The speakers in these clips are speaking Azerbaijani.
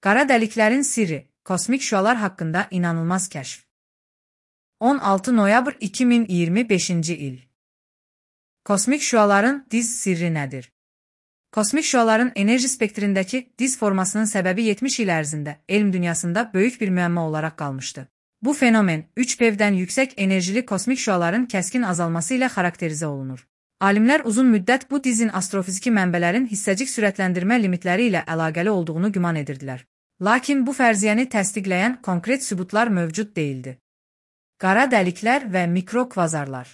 Qara dəliklərin sirri, kosmik şüalar haqqında inanılmaz kəşf. 16 noyabr 2025-ci il. Kosmik şüaların diz sirri nədir? Kosmik şüaların enerji spektrindəki diz formasının səbəbi 70 il ərzində elm dünyasında böyük bir müəmma olaraq qalmışdı. Bu fenomen 3PEV-dən yüksək enerjili kosmik şüaların kəskin azalması ilə xarakterizə olunur. Alimlər uzun müddət bu dizin astrofiziki mənbələrin hissəcik sürətləndirmə limitləri ilə əlaqəli olduğunu güman edirdilər. Lakin bu fərziyyəni təsdiqləyən konkret sübutlar mövcud deyildi. Qara dəliklər və mikrokvazarlar.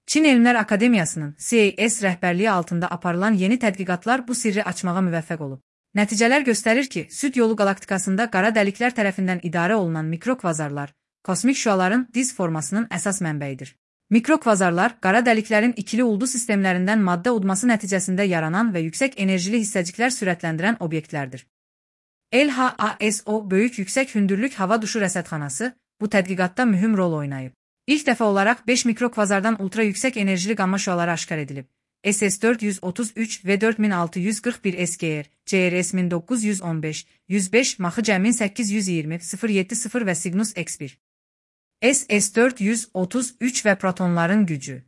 Çin Elmlər Akademiyasının CAS rəhbərliyi altında aparılan yeni tədqiqatlar bu sirri açmağa müvəffəq olub. Nəticələr göstərir ki, Süd yolu qalaktikasında qara dəliklər tərəfindən idarə olunan mikrokvazarlar, kosmik şüaların diz formasının əsas mənbəyidir. Mikrokvazarlar, qara dəliklərin ikili ulduz sistemlərindən maddə udması nəticəsində yaranan və yüksək enerjili hissəciklər sürətləndirən obyektlərdir. LHASO Böyük Yüksək Hündürlük Hava Duşu Rəsədxanası bu tədqiqatda mühüm rol oynayıb. İlk dəfə olaraq 5 mikrokvazardan ultra yüksək enerjili qamma şüaları aşkar edilib. SS433 və 4641 SGR, CRS 1915, 105, Maxı Cəmin 820, 070 və Cygnus X1. SS433 və protonların gücü.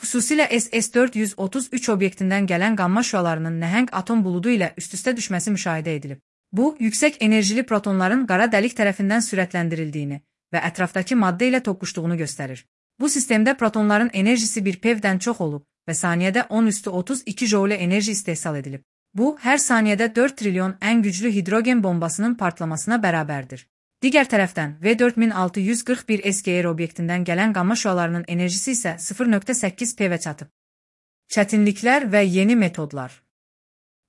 Xüsusilə SS433 obyektindən gələn qamma şüalarının nəhəng atom buludu ilə üst-üstə düşməsi müşahidə edilib. Bu, yüksək enerjili protonların qara dəlik tərəfindən sürətləndirildiyini və ətrafdakı maddə ilə toqquşduğunu göstərir. Bu sistemdə protonların enerjisi 1 PeV-dən çox olub və saniyədə 10^32 joule enerji istehsal edilib. Bu, hər saniyədə 4 trilyon ən güclü hidrogen bombasının partlamasına bərabərdir. Digər tərəfdən, V4641 SGR obyektindən gələn qamma şüalarının enerjisi isə 0,8 PeV-ə çatıb. Çətinliklər və yeni metodlar.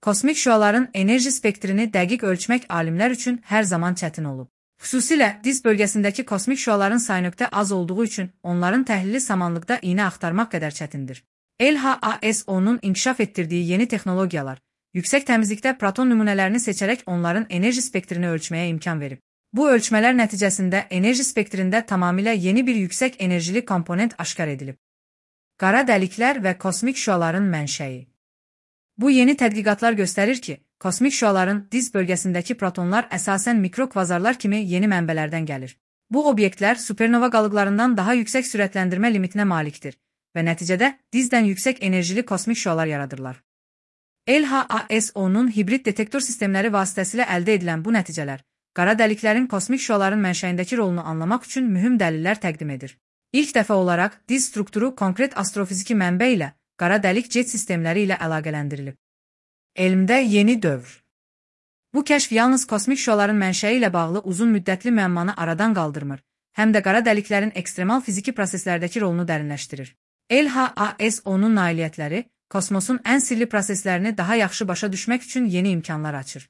Kosmik şüaların enerji spektrini dəqiq ölçmək alimlər üçün hər zaman çətin olub. Xüsusilə diz bölgəsindəki kosmik şüaların sayı az olduğu üçün onların təhlili samanlıqda iynə axtarmaq qədər çətindir. LHASO-nun inkişaf etdirdiyi yeni texnologiyalar, yüksək təmizlikdə proton nümunələrini seçərək onların enerji spektrini ölçməyə imkan verib. Bu ölçmələr nəticəsində enerji spektrində tamamilə yeni bir yüksək enerjili komponent aşkar edilib. Qara dəliklər və kosmik şüaların mənşəyi. Bu yeni tədqiqatlar göstərir ki, kosmik şüaların diz bölgəsindəki protonlar əsasən mikrokvazarlar kimi yeni mənbələrdən gəlir. Bu obyektlər supernova qalıqlarından daha yüksək sürətləndirmə limitinə malikdir və nəticədə dizdən yüksək enerjili kosmik şüalar yaradırlar. LHASO-nun hibrid detektor sistemləri vasitəsilə əldə edilən bu nəticələr, qara dəliklərin kosmik şüaların mənşəyindəki rolunu anlamaq üçün mühüm dəlillər təqdim edir. İlk dəfə olaraq diz strukturu konkret astrofiziki mənbə ilə, qara dəlik jet sistemləri ilə əlaqələndirilib. Elmdə yeni dövr. Bu kəşf yalnız kosmik şüaların mənşəyi ilə bağlı uzun müddətli müəmmanı aradan qaldırmır, həm də qara dəliklərin ekstremal fiziki proseslərdəki rolunu dərinləşdirir. LHASO-nun nailiyyətləri kosmosun ən sirli proseslərini daha yaxşı başa düşmək üçün yeni imkanlar açır.